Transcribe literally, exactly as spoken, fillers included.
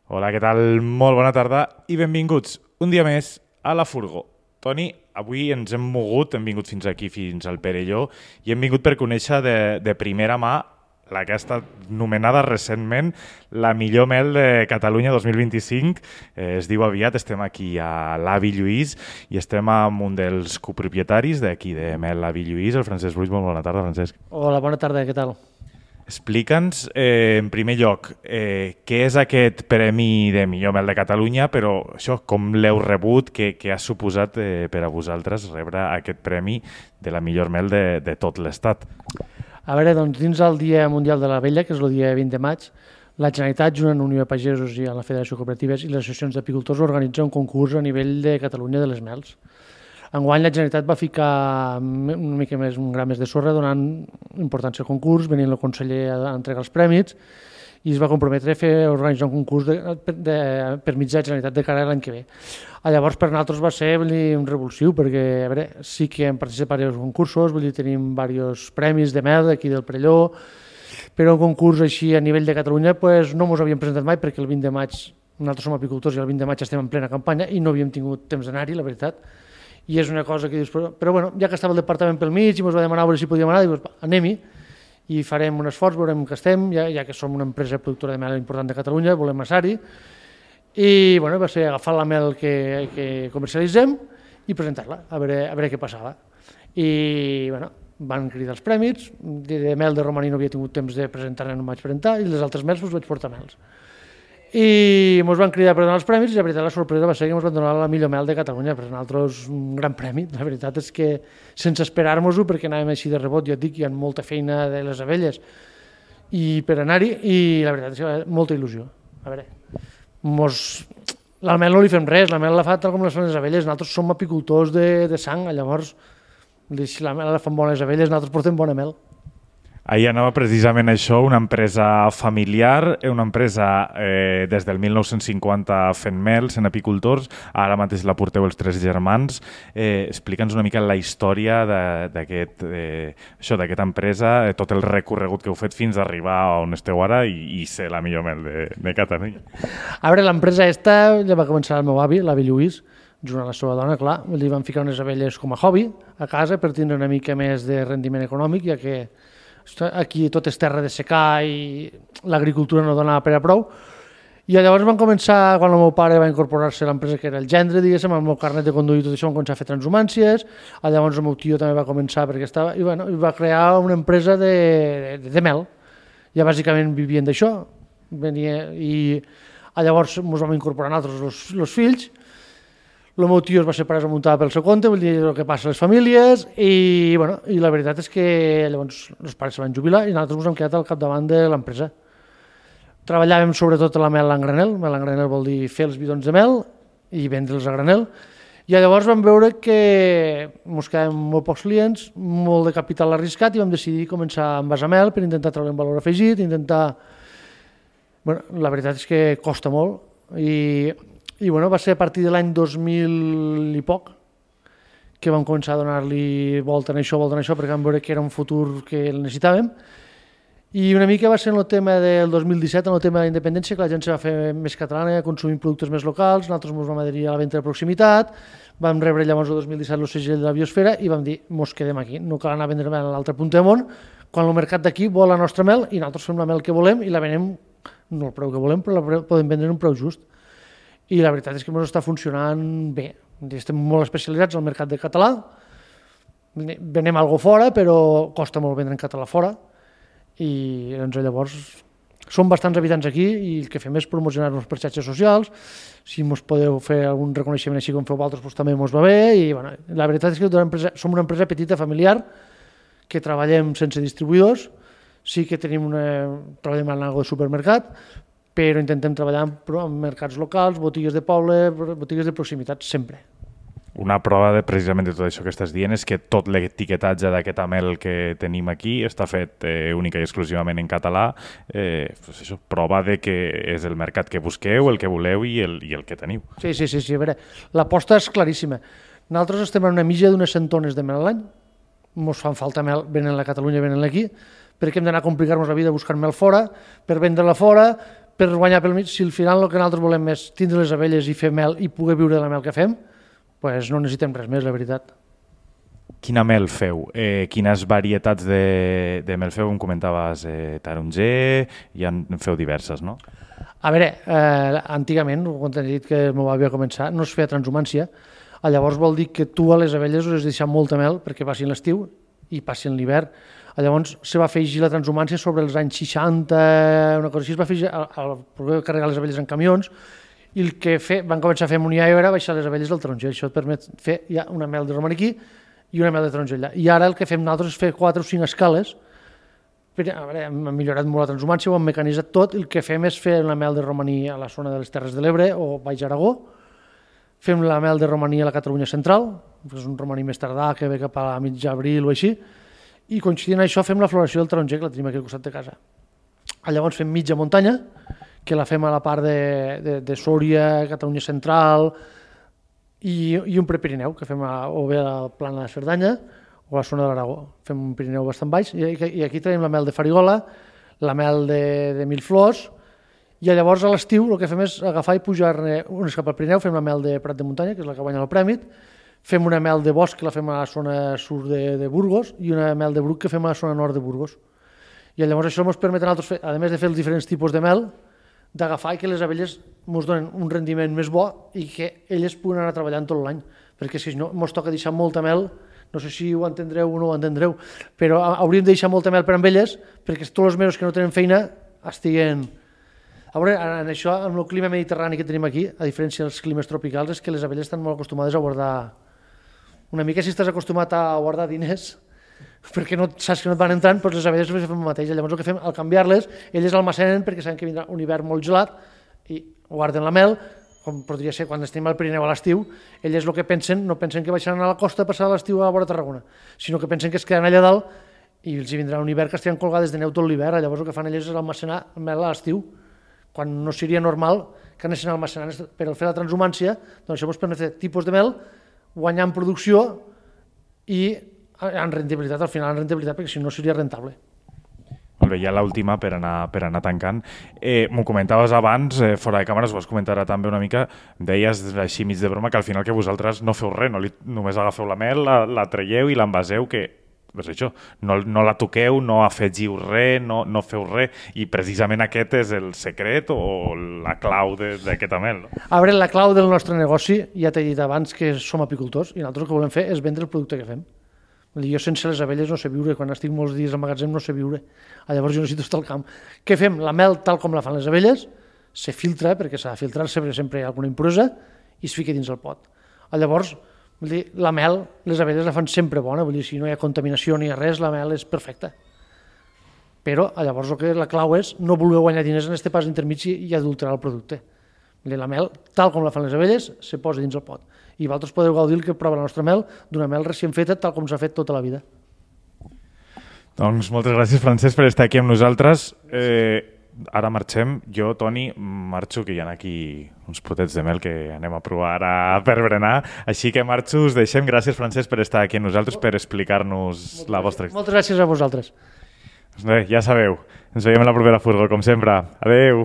Hola, què tal? Molt bona tarda i benvinguts un dia més a La Furgó. Toni, avui ens hem mogut, hem vingut fins aquí, fins al Perelló, i hem vingut per conèixer de, de primera mà la que ha estat nomenada recentment la millor mel de Catalunya dos mil vint-i-cinc. Eh, es diu aviat, estem aquí a l'Avi Lluís i estem amb un dels copropietaris d'aquí de Mel l'Avi Lluís, el Francesc Ruiz. Molt bona tarda, Francesc. Hola, bona tarda, què tal? Explica'ns, eh, en primer lloc, eh, què és aquest Premi de Millor Mel de Catalunya, però això, com l'heu rebut, què, què ha suposat eh, per a vosaltres rebre aquest premi de la millor mel de, de tot l'Estat? A veure, doncs, dins el Dia Mundial de l'Abella, que és el dia vint de maig, la Generalitat, junt amb la Unió de Pagesos i amb la Federació de Cooperatives i les associacions d'apicultors, organitza un concurs a nivell de Catalunya de les mels. Enguany la Generalitat va ficar una mica més, un gram més de sorra, donant importància al concurs, venint el conseller a entregar els prèmits, i es va comprometre a fer organitzar un concurs de, de, per mitjà de Generalitat de cara a l'any que ve. Llavors, per nosaltres va ser dir, un revulsiu, perquè a veure, sí que hem participat en diversos concursos, vull dir, tenim diversos premis de mel aquí del Perelló, però un concurs així a nivell de Catalunya pues, no ens havíem presentat mai, perquè el vint de maig, nosaltres som apicultors i el vint de maig estem en plena campanya i no havíem tingut temps d'anar-hi, la veritat. I és una cosa que dius, però, però bueno, ja que estava el departament pel mig i ens va demanar a veure si podíem anar, dius, anem-hi i farem un esforç, veurem que estem, ja, ja que som una empresa productora de mel important de Catalunya, volem anar-hi. I bueno, va ser agafar la mel que, que comercialitzem i presentar-la, a veure, a veure què passava. I bueno, van cridar els prèmits, de, de mel de romaní no havia tingut temps de presentar-la, no em vaig presentar, i les altres mels us vaig portar mels. I ens van cridar per donar els premis i la veritat la sorpresa va ser que ens van donar la millor mel de Catalunya, per nosaltres un gran premi. La veritat és que sense esperar-nos-ho, perquè anàvem així de rebot, jo et dic, hi ha molta feina de les abelles i per anar-hi, i la veritat és que molta il·lusió. A veure, mos... la mel no li fem res, la mel la fa tal com les fan les abelles, nosaltres som apicultors de, de sang, llavors si la mel la fan bones abelles, nosaltres portem bona mel. Ahir anava precisament això, una empresa familiar, una empresa eh, des del mil nou-cents cinquanta fent mel, sent apicultors, ara mateix la porteu els tres germans. Eh, Explica'ns una mica la història d'aquest, eh, això, d'aquesta empresa, eh, tot el recorregut que heu fet fins a arribar on esteu ara i, i ser la millor mel de, de Catalunya. A veure, l'empresa esta ja va començar el meu avi, l'avi Lluís, junt amb la seva dona, clar, li van ficar unes abelles com a hobby a casa per tindre una mica més de rendiment econòmic, ja que aquí tot és terra de secà i l'agricultura no donava per a prou. I llavors van començar, quan el meu pare va incorporar-se a l'empresa que era el gendre, diguéssim, amb el meu carnet de conduir i tot això, van començar a fer transhumàncies. Llavors el meu tio també va començar perquè estava, i bueno, va crear una empresa de, de, de mel. Ja bàsicament vivien d'això. Venia, i llavors ens vam incorporar nosaltres els fills. El meu tio es va separar, es va muntar pel seu compte, vull dir el que passa a les famílies, i, bueno, i la veritat és que llavors els pares se van jubilar i nosaltres ens hem quedat al capdavant de l'empresa. Treballàvem sobretot la mel en granel, mel en granel vol dir fer els bidons de mel i vendre'ls a granel, i llavors vam veure que ens quedàvem molt pocs clients, molt de capital arriscat, i vam decidir començar amb envasar mel per intentar treure un valor afegit, intentar... Bueno, la veritat és que costa molt, i... I bueno, va ser a partir de l'any dos mil i poc que vam començar a donar-li volta en això, volta en això, perquè vam veure que era un futur que el necessitàvem. I una mica va ser en el tema del dos mil disset, en el tema de la independència, que la gent se va fer més catalana, consumint productes més locals, nosaltres ens vam adherir a la venda de proximitat, vam rebre llavors el dos mil disset el segell de la biosfera i vam dir, mos quedem aquí, no cal anar a vendre mel a l'altre punt del món, quan el mercat d'aquí vol la nostra mel i nosaltres fem la mel que volem i la venem, no el preu que volem, però la podem vendre en un preu just. I la veritat és que ens està funcionant bé. Estem molt especialitzats al mercat de català, venem alguna fora, però costa molt vendre en català fora, i doncs, llavors som bastants habitants aquí i el que fem és promocionar-nos per xarxes socials. Si ens podeu fer algun reconeixement així com feu vosaltres, doncs també ens va bé. I, bueno, la veritat és que una empresa, som una empresa petita, familiar, que treballem sense distribuïdors, sí que tenim una, treballem en algo de supermercat, però intentem treballar en mercats locals, botigues de poble, botigues de proximitat, sempre. Una prova de, precisament de tot això que estàs dient és que tot l'etiquetatge d'aquesta mel que tenim aquí està fet eh, única i exclusivament en català. Eh, pues això, prova de que és el mercat que busqueu, el que voleu i el, i el que teniu. Sí, sí, sí, sí. A veure, l'aposta és claríssima. Nosaltres estem en una mitja d'unes cent tones de mel a l'any. Ens fan falta mel, venen a Catalunya, venen aquí, perquè hem d'anar a complicar-nos la vida buscant mel fora, per vendre-la fora, per guanyar pel mig, si al final el que nosaltres volem és tindre les abelles i fer mel i poder viure de la mel que fem, pues no necessitem res més, la veritat. Quina mel feu? Eh, quines varietats de, de mel feu? Em comentaves eh, taronger, i en feu diverses, no? A veure, eh, antigament, quan t'he dit que el meu avi va començar, no es feia transhumància. Llavors vol dir que tu a les abelles us has deixat molta mel perquè passin l'estiu i passin l'hivern. Llavors se va afegir la transhumància sobre els anys seixanta, una cosa així, es va afegir a, a poder carregar les abelles en camions, i el que fe, van començar a fer amoníac era baixar les abelles del taronger. Això et permet fer ja una mel de romaní aquí i una mel de taronger allà. I ara el que fem nosaltres és fer quatre o cinc escales. Per, a veure, hem millorat molt la transhumància, ho hem mecanitzat tot, i el que fem és fer la mel de romaní a la zona de les Terres de l'Ebre o Baix Aragó, fem la mel de romaní a la Catalunya central, que és un romaní més tardà que ve cap a mig abril o així, i coincidint això fem la floració del taronger, que la tenim aquí al costat de casa. Llavors fem mitja muntanya, que la fem a la part de, de, de Sòria, Catalunya central, i, i un prepirineu, que fem a, o bé a la plana de Cerdanya o a la zona de l'Aragó. Fem un pirineu bastant baix, i, i aquí tenim la mel de farigola, la mel de, de mil flors, i llavors a l'estiu el que fem és agafar i pujar-ne unes cap al Pirineu, fem la mel de Prat de Muntanya, que és la que guanya el prèmit, fem una mel de bosc, que la fem a la zona sud de, de Burgos, i una mel de bruc que fem a la zona nord de Burgos. I llavors això ens permet a nosaltres, fer, a més de fer els diferents tipus de mel, d'agafar i que les abelles ens donen un rendiment més bo i que elles puguin anar treballant tot l'any, perquè si no ens toca deixar molta mel, no sé si ho entendreu o no ho entendreu, però hauríem de deixar molta mel per amb elles, perquè tots els mesos que no tenen feina estiguen... A veure, en això, amb el clima mediterrani que tenim aquí, a diferència dels climes tropicals, és que les abelles estan molt acostumades a guardar... Una mica si estàs acostumat a guardar diners, perquè no saps que no et van entrant, doncs les abelles fem el mateix. Llavors el que fem, al canviar-les, elles almacenen perquè saben que vindrà un hivern molt gelat i guarden la mel, com podria ser quan estem al Pirineu a l'estiu, elles el que pensen, no pensen que baixaran a la costa a passar l'estiu a la vora Tarragona, sinó que pensen que es quedaran allà dalt i els hi vindrà un hivern que estaran colgades de neu tot l'hivern. Llavors el que fan elles és almacenar mel a l'estiu, quan no seria normal que anessin almacenant. Per fer la transhumància, doncs això ens permet fer tipus de mel, guanyar en producció i en rendibilitat, al final en rendibilitat, perquè si no seria rentable. Molt bé, ja l'última per anar, per anar tancant. Eh, M'ho comentaves abans, eh, fora de càmeres, ho has comentat també una mica, deies així mig de broma que al final que vosaltres no feu res, no li, només agafeu la mel, la, la traieu i l'envaseu, que pues això, no, no la toqueu, no afegiu res, no, no feu res, i precisament aquest és el secret o la clau d'aquesta mel. No? A veure, la clau del nostre negoci, ja t'he dit abans que som apicultors, i nosaltres el que volem fer és vendre el producte que fem. Vull dir, jo sense les abelles no sé viure, quan estic molts dies al magatzem no sé viure, llavors jo necessito estar al camp. Què fem? La mel tal com la fan les abelles, se filtra, perquè s'ha de filtrar-se, perquè sempre hi ha alguna impuresa, i es fica dins el pot. Llavors, vull dir, la mel, les abelles la fan sempre bona, vull dir, si no hi ha contaminació ni res, la mel és perfecta. Però llavors el que la clau és no voler guanyar diners en aquest pas intermig i adulterar el producte. Vull dir, la mel, tal com la fan les abelles, se posa dins el pot. I vosaltres podeu gaudir que prova la nostra mel d'una mel recient feta tal com s'ha fet tota la vida. Doncs moltes gràcies, Francesc, per estar aquí amb nosaltres. Eh, ara marxem. Jo, Toni, marxo, que hi ha aquí uns potets de mel que anem a provar ara per berenar. Així que marxo, us deixem. Gràcies, Francesc, per estar aquí amb nosaltres, per explicar-nos la vostra història. Moltes gràcies a vosaltres. Doncs bé, ja sabeu, ens veiem a la propera furgo, com sempre. Adeu!